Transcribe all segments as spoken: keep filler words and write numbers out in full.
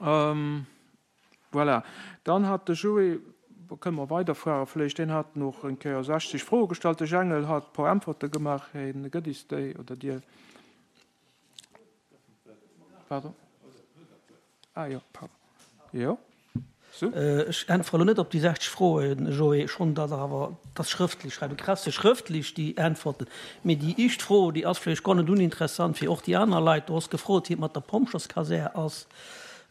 Voilà. Dann hat de Joé, kënne mer weiderfuere vläicht, deen hat nach eng Kéier sechzeg Froe gestallt. De Jengel hat e puer Äntwerte gemaach. Hie gëtt is déi, oder Dir. Pardon? Ah jo, pardon. Jo. Sou. Ech äntwere elo net op déi sechzeg Froen, Joé, schonn datt der awer dat schrëftlech schreiwen. Du kriss se schrëftlech, déi Äntwerten. Mee déi éischt Fro, déi ass vläicht guer net uninteressant fir och déi aner Leit. Du hues gefrot, wéi et mat der Pompjerskasär ass.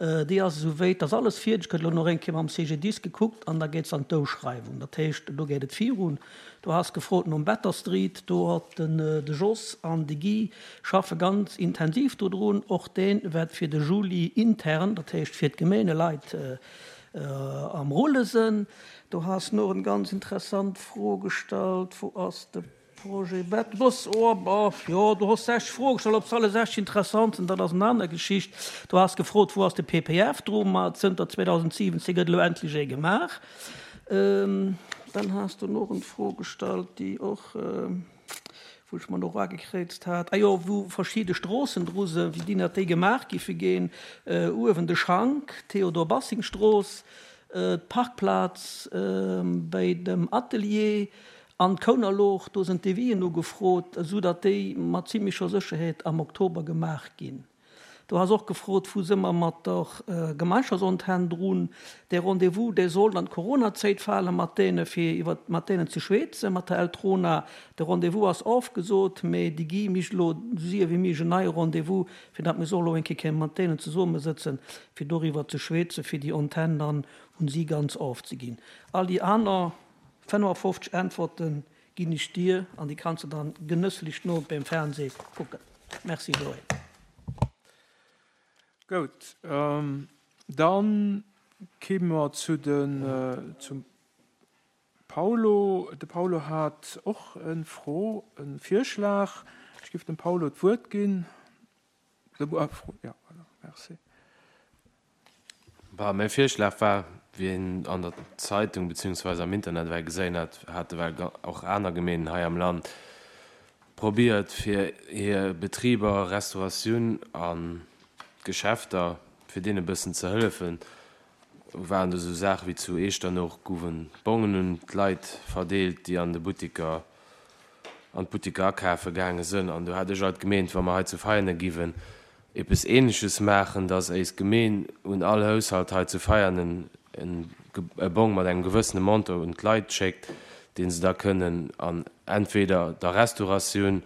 Déi ass esou wéit, ass alles fierdeg, gëtt elo nach eng Kéier mam C G D I S gekuckt an da geet se an d'Ouschreiwung. Dat heescht, do geet et virun. Du has gefrot nom Better Street, do huet den de Jos an de Guy schaffe ganz intensiv dodrun. Och dee wäert fir de Juli intern, dat heescht fir d'Gemeeneleit, am Rulle sinn. Du has nach eng ganz interessant Fro gestallt, wou ass de Projet Bettbus? Oh, bof, jo, du hues sechs Froe gestallt, ob se alle sechs interessant sinn, dat ass eng aner Geschicht. Du has gefrot, wou ass de P P F dru? Ma zënter zweedausendsiwwenzéng gëtt elo endlech ee gemaach. Dann has du nach eng Fro gestallt, déi och, wou ech mer nach agekräizt hat, ah jo, wou verschidde Stroossen dru sinn, wéi déi nach déi gemaach giffe ginn. Uewen de Schank, Théodore-Bassing-Strooss, d'Parkplaz bei dem Atelier an d'Kounerlooch, do sinn d'Devisen ugefrot, esou datt déi mat zimlecher Sécherheet am Oktober gemaach ginn. Du has och gefrot, wou si mer mat der Gemeinschaftsantenn drun. Dee Rendez-vous, dee sollt an d'Coronazäit fale mat deene fir iwwer mat deenen ze schwätzen, mat der Eltrona. De Rendez-vous ass ofgesot, mee déi gi mich elo esou séier wéi méiglech en neie Rendez-vous, fir datt mir solle elo eng Kéier kënnen mat deenen zesummesëtzen, fir doriwwer ze schwätzen, fir déi Antenn dann un si ganz ofzeginn. All déi aner fënnefafofzeg Äntwerten ginn ech dir an déi kanns de dann genësslech no beim Fernseh kucken. Merci Joé. Goud, dann kime mer zu den, zum Paulo. De Paulo hat och en Fro, en Virschlag. Ech giff dem Paulo d'Wuert ginn. Ja, voilà, merci. Bah, mäi Virschlag war, wéi een an der Zeitung beziehungsweise am Internet well geséin hat, hate well och aner Gemeenen hei am Land probiert, fir hir Betriber, Restauratioun an Geschäfter, fir deene bëssen ze hëllefen. Waren do sou Saache wéi zu Eechternoch goufen Bongen un d'Leit verdeelt, déi an de Buttiker an d'Buttiker akafe gaange sënn. An do hat ech alt gemeent, wa mer hei zu Veianen giwen eppes Ähnleches maachen, dass éis Gemeen un all Haushalt hei zu Veianen e Bong mat engem gewëssene Montant un d'Leit schéckt, deen se da kënnen an entweder der Restauratioun,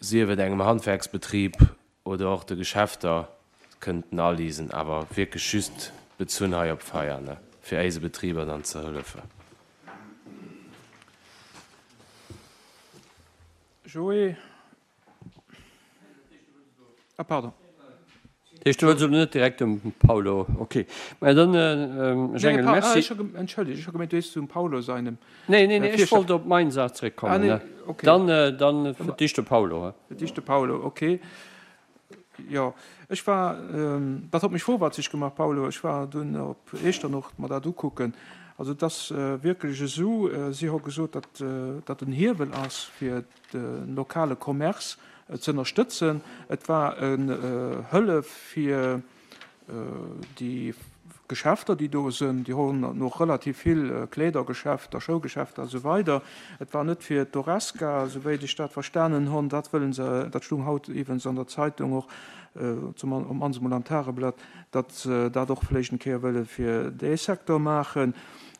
sief et engem Handwerksbetrib oder och de Geschäfter kënnten alisen, awer wierklech just bezunn hei op Veianen, fir éise Betriber dann ze hëllefen. Joé. Ah, pardon. Dat heescht, du wëlls elo net direkt dem Paulo, ok. Mä dann, Jengel, merci. Entschëllegt, ech hu gemengt, du hues zum Paulo seinem. Nee, nee, nee, ech wollt op meng Saach zeréckkommen. Ah, nee, ok. Dann, dann fir d'éischt de Paulo. Fir d'éischt de Paulo, ok. Jo, ech war, dat huet mech vorwärtseg gemaach, Paulo, ech war dunn op Eechternoch mer dat ukucken. Also et ass wierklech esou, si hu gesot, datt dat en Hiewel ass fir de lokale Commerce ze ënnerstëtzen. Et war en Hëllef fir déi Geschäfter, déi do sinn. Déi hunn och relativ vill Kleedergeschäfter, Schougeschäfter a sou weider. Et war net fir d'Horesca, souwéit ech dat verstanen hunn. Dat wëllen se, dat stung haut iwwens an der Zeitung och, zum op mannst emol am Tageblatt, datt se dat och vläicht eng Kéier wëlle fir dee Secteur maachen.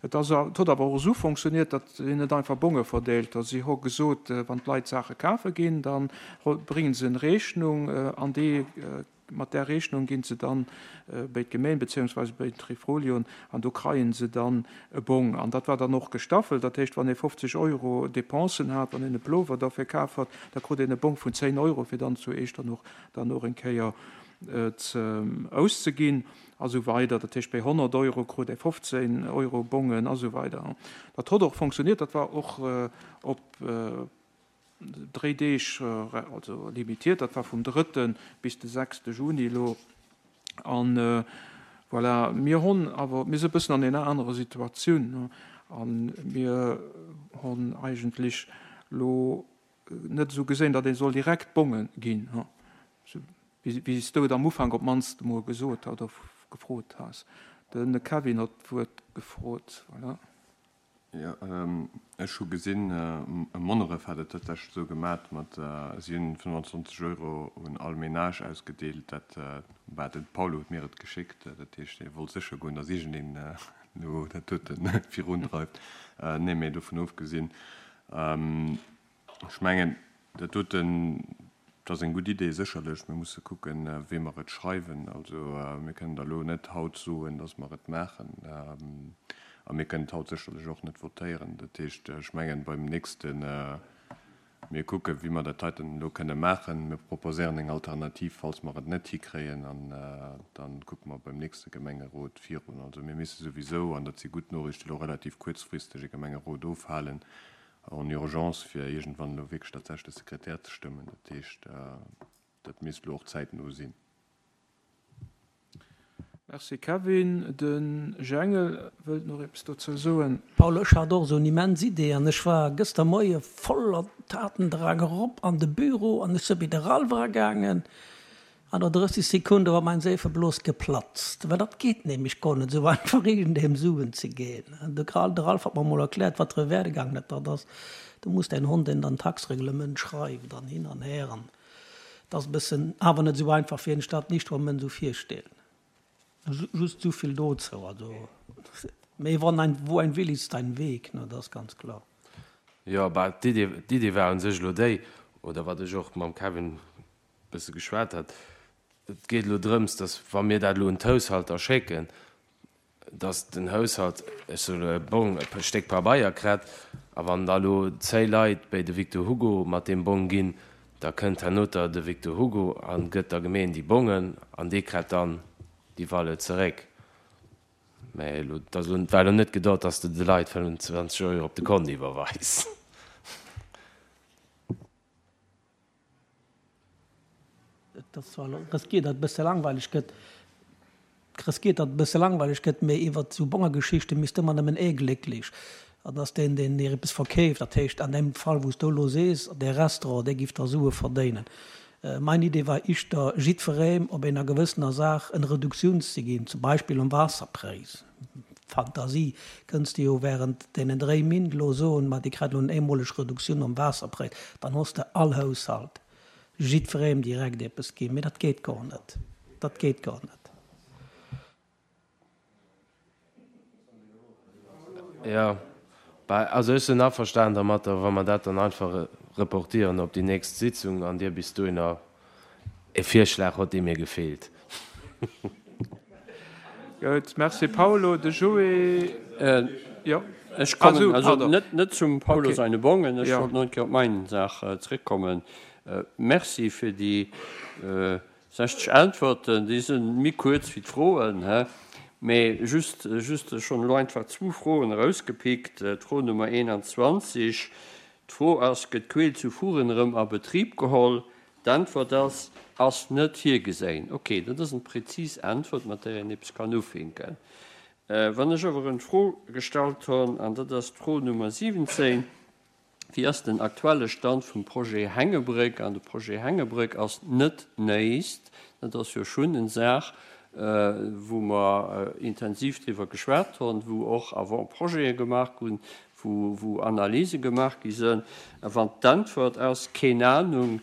Et ass, et huet awer och esou fonctionniert, datt si net einfach Bonge verdeelt hu. Si hu gesot, wann d'Leit Saache kafe ginn, da bréngen se eng Rechnung an déi, mat där Rechnung ginn se dann béi d'Gemeng beziehungsweise béi den Trifolion an do kreien se dann e Bong. An dat war dann och gestaffelt, dat heescht, wann ee fofzeg Euro Dépensen hat, wann een e Plover derfir kaf hat, da krut een e Bong vun zéng Euro, fir dann zu Eechternoch dann och eng Kéier ze auszeginn a sou weider. Dat heescht, béi honnert Euro krut ee fofzéng Euro Bongen a sou weider. Dat hott och fonctionniert, dat war och op dréi Deeg, also limitiert, dat war vum drëtte bis de sechste Juni elo. An voilà, mir honn awer, mir si e bëssen an enger anerer Situatioun a mir honn eigentlech elo net esou gesinn, datt ee soll direkt Bonge ginn. Wéi s du et am Ufank op d'mannst emol gesot oder gefrot has. De Kevin huet d'Wuert gefrot. Voilà. Jo, ech hu gesinn, Monneref hat et tatsächlech esou gemat, mat, si hunn fënnwandzwanzeg Euro un all Menage ausgedeelt. Dat war den Paulo huet mir et geschéckt. Dat heescht, hie wollt sécher goen, datt iergendeen elo dat dote virundreift. Nee, mee dovun ofgesinn, ech mengen, dat doten, dat ass eng gutt Idee sécherlech. Mir musse kucken, wéi mer et schreiwen. Also mir kënnen der elo net haut soen, datt mer et maachen. A mir kënnen et haut sécherlech och net votéieren. Dat heescht, ech mengen, beim nächste, mir kucken, wéi mer dat heiten elo kënne maachen. Mir proposéieren eng Alternativ, falls mer et net hikréien. An da kucke mer beim nächste Gemengerot virun. Also mir misse souwisou, an dat si gutt Noriichten, elo relativ kuerzfristeg e Gemengerot ofhalen, en urgence, fir iergendwann elo wierklech tatsächlech de Sekretär ze stëmmen. Dat heescht, dat misst elo och zäitno sinn. Merci Kevin. De Jengel wëllt nach eppes dozou soen. Paul, ech hat och esou en immens Idee an ech war gëster Moie voller Tatendrang erop an de Büro an ech si bei de Ralph eragaangen. An no drësseg Sekunde war mein Seefeblos geplatzt, well dat geet nämlech guer net esou einfach iergendeem Suen ze ginn. De Ralph hat mer emol erkläert, wat fir e Werdegang dat dat ass. Du muss däin Hond in dein Taxreglement schreiwen an hin an her an dat ass e bëssen awer net esou einfach, wéi een sech dat nicht am Moment esou virstellt. Just esou vill dozou. Also, mee wann ein, wo ein Wille ist ein Weg, ne, dat ass ganz klar. Jo, bah, d'Idee, d'Idee war un sech elo déi, oder wat ech och mam Kevin bësse geschwat hat, et geet elo drëms, dass wa mir dat elo un d'Haushalter schécken, dass den Haushalt, ech soe elo e Bong, e Stéck Pabeier kritt, a wann da elo zéi Leit béi de Victor Hugo mat deem Bong ginn, da kënnt hernoter de Victor Hugo a gëtt der Gemeen déi Bongen an dee kritt dann déi Valeur zeréck. Mä elo, et ass elo, war elo net geduet, dass de de Leit fënnwandzwanzeg Euro op de Kont iwwerweis. Et ass zwar elo riskiert, datt et e bësse langweileg gëtt, riskiert, datt et e bësse langweileg gëtt, mee iwwert esou Bongergeschichte misst ëmmer nëmmen ee glécklech, an ass deen, deen dir eppes verkeeft. Dat heescht, an deem Fall, wou s du elo sees, dee Restaurant, dee giff da Sue verdéinen. Mein Idee war ischter, jiddfereem op enger gewëssener Saach en Reduktioun ze ginn, zum Beispill um Waasserpräis. Fantasie, kënns de jo während deenen dréi Min elo soen, ma dir kritt elo en eemoleg Reduktioun um Waasserpräis, dann hues de all Haushalt, jiddfereem direkt eppes ginn. Mee dat geet gor net. Dat geet gor net. Jo, bah, also ech sinn averstanen dermatter, wa mer dat dann einfach reportieren op déi nächst Sitzung an Dir bis dohinner e Virschlag hutt, dee mir gefeelt. Gutt, merci Paulo. De Joé, jo. Ech kommen also net, net zum Paulo seine Bongen, ech wollt nach eng Kéier op mein Saach zréckkommen. Merci fir déi sechzeg Äntwerten, déi si méi kuerz wéi d'Froen, hä? Mee just, just ech hunn elo einfach zwou Froen erausgepickt. D'Fro Nummer eenanzwanzeg, d'Fro ass, Gëtt d'Queel zu Furen erëm a Betrib geholl? D'Äntwert ass, Ass net virgeséin. Okay, dat ass eng präzis Äntwert, mat där een eppes kann ufinken. Wann ech awer en Fro gestallt hunn, an dat ass d'Fro Nummer siwwenzéin, Wéi ass den aktuelle Stand vum Projet Hängebréck? An de Projet Hängebréck ass net néist, dat ass jo schonn en Saach, wou mer intensiv driwwer geschwat hunn, wou och Avant-projete gemaach ginn, wou, wou Analyse gemaach gi sinn. A wann d'Äntwert ass, keen Ahnung,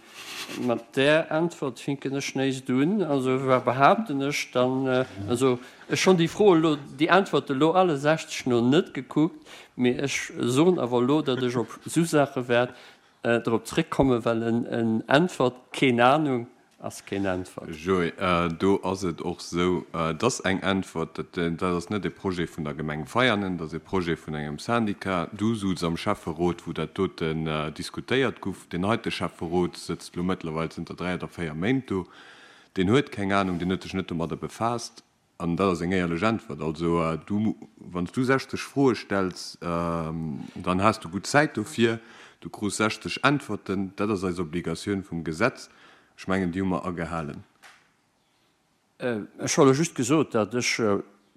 mat där Äntwert finken ech néist un. Also wa behaapten ech dann, also ech hunn déi Fro elo, déi Äntwerte elo alle sechzeg no net gekuckt, mee ech soen awer elo, datt ech op esou Saache wäert drop zréckkommen, well en Äntwert, keen Ahnung, ass keen Äntwert. Joé, do ass et och esou, dass eng Äntwert, dat ass net e Projet vun der Gemeng Veianen, dat ass e Projet vun engem Syndicat. Du souz am Schäfferot, wou dat doten diskutéiert guff. Deen heite Schäfferot sëtzt elo mëttlerweil zënter dräi oder véier Méint do. Deen huet keng Anung, deen huet sech net domadder befaasst. An dat ass eng éierlech Äntwert. Also du, wann s du sechzeg Froe stells, dann has du gutt Zäit dofir. Du krus sechzeg Äntwerten. Dat ass eis Obligatioun vum Gesetz. Ech mengen, déi hu mer agehalen. Ech hu elo just gesot, datt ech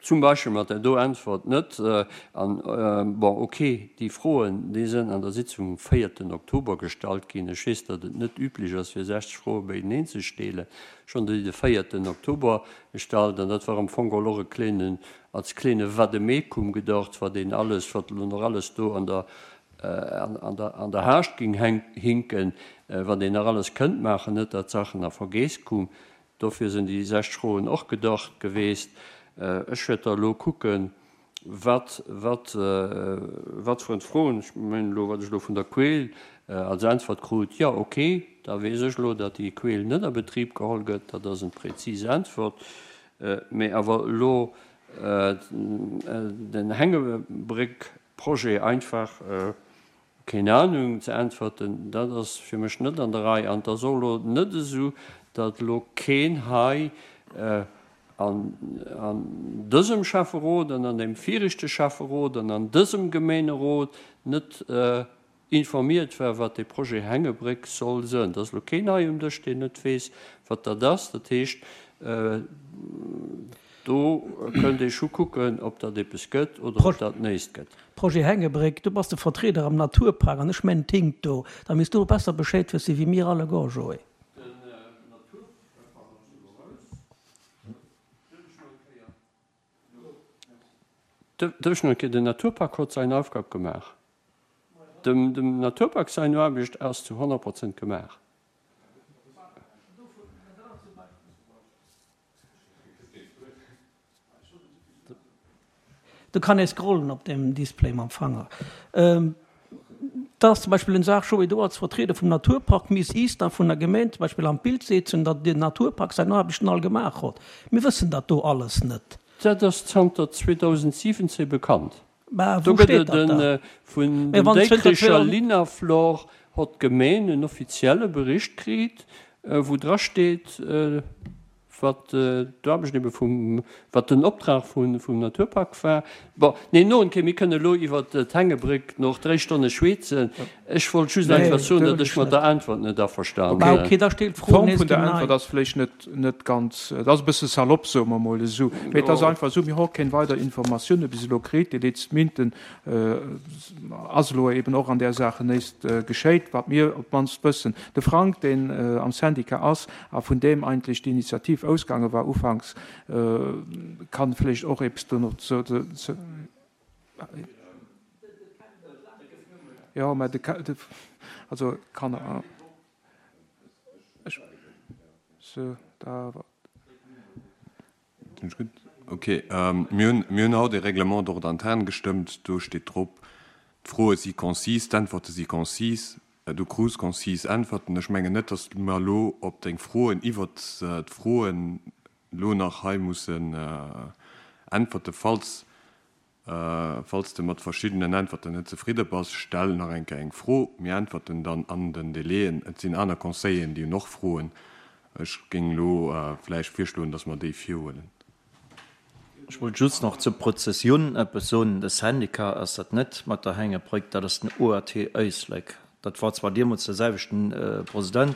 zum Beispill mat där do Äntwert net. An, bon, okay, déi Froen, déi sënn an der Sitzung um véierten Oktober gestallt ginn. Ech weess, datt et net üblech ass, fir sechzeg Froe beieneen ze steelen. Ech hunn déi de véierten Oktober gestallt an dat war am Fong geholl och e kleenen, als kleene Vademecum gedacht, wat een alles, wat elo nach alles do an der, an der, an der Haascht géing hinken, wat een nach alles kënnt maachen, net datt d'Saachen a Vergeess kum. Dofir sinn déi sechzeg Froen och gedacht geweest. Ech wäert da elo kucken, wat, wat, wat fir en Froen, ech mengen elo, wat ech elo vun der Queel als Äntwert krut, jo, okay, da weess ech elo, datt déi Queel net a Betrib geholl gëtt, dat ass eng prezis Äntwert. Mee awer elo den Hängebréck-Projet einfach, keen Ahnung ze äntwerten, dat ass fir mech net an der Rei. An et ass och elo net esou, datt elo keen hei an dësem Schäfferot an an deem viregte Schäfferot an an dësem Gemeenerot net informiert war, wat dee Projet Hängebréck soll sënn. Et ass elo keen hei um Dësch, deen net weess, wat dat ass. Dat heescht, do kënnt ee scho kucken, ob dat eppes gëtt oder ob dat néist gëtt. Projet Hängebréck, du bass de Vertrieder am Naturpark an ech mengen, et hinkt do. Da misst du besser Bescheed wësse wéi mir alleguer, Joé. Den Naturpark ass elo raus. Dierf ech nach eng Kéier? Den Naturpark huet säin Aufgab gemaach. Dem dem Naturpark säin Aarbecht ass zu honnert Prozent gemaach. Do kann ee scrollen op deem Display mam Fanger. Dat ass zum Beispill eng Saach, Joé, do als Vertrieder vum Naturpark misst is da vun der Gemeen zum Beispill an d'Bild setzen, datt den Naturpark säin Aarbechten all gemaach hott. Mir wëssen dat do alles net. Dat ass zanter zweedausendsiwwenzéng bekannt. Mä Do wou gëtt steet et dat da? e vun Mä dem wann zënter Déikricher Linaflor hott d'Gemeen en offizielle Bericht kriit, wou dra steet, wat d'Aarbecht ebe vum, wat den Optrag vum Naturpark war. Bon, nee, no en Kéier, mir kënne elo iwwer d'Hängebréck nach dréi Stonne schweezen. Ech wollt just Nee, einfach soen, dat datt wëll ech ech mat net. der Äntwert net averstane Bah, sinn. okay, da steet d'Fro D'Form nees vun der genau. Äntwert ass vläicht net, net ganz, et ass e bësse salopp, soe mer emol esou. Mee et ass einfach esou, mir hu keng weider Informatioune bis elo kritt. Déi letzten Minuten ass elo eben och an där Saach näischt geschéit, wat mir op d'mannst wëssen. De Frank, deen am Syndicat ass a vun deem eigentlech d'Initiativ ausgaange war ufanks, kann vläicht och eppes do nach zu. Jo, mä de, also kann, ech, sou, da. Sinn ech gutt? Ok. Mir hunn, mir hunn haut e Règlement d'ordre interne gestëmmt. Do steet drop, d'Froe si concis, d'Äntwerte si concis. Du krus concis Äntwerten. Ech mengen net, datt mer elo op deng Froen iwwert d'Froen elo nach hei mussen äntwerte. Falls Falls de mat verschiddenen Äntwerten net zefridde bass, stell nach eng Kéier eng Fro. Mir äntwerten dann an den Délaiën. Et sinn aner Conseilleren, déi hunn och Froen. Ech géing elo vläicht virschloen, dass mer déi virhuelen. Ech wollt just nach zur Prozessioun eppes soen. De Syndicat ass dat net mat der Hängebréck, dat ass den O A T Éislek. Dat war zwar deemools de selwechten President,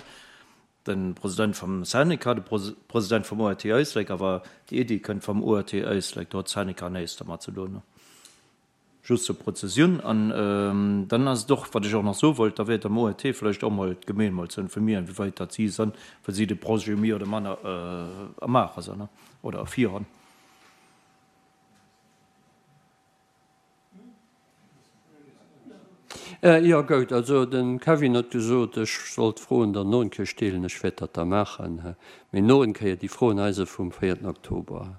de President vum Syndicat, de President vum O A T Éislek, awer déi Iddi kënnt vum O A T Éislek, do huet Syndicat näischt dermat ze doen. Just zur Prozessioun. An dann ass et och, wat ech och nach soe wollt, da wäert am O A T vläicht och mol d'Gemeen mol ze informieren, wéi weit datt si sënn, well si de Projet méi oder manner am Maache sënn oder erfir hunn. Jo, goud. Also de Kevin huet gesot, ech soll d'Froen dann no en Kéier stelen. Ech wäert dat da maachen. Mee no en Kéier, déi Froen hei si vum véierten Oktober.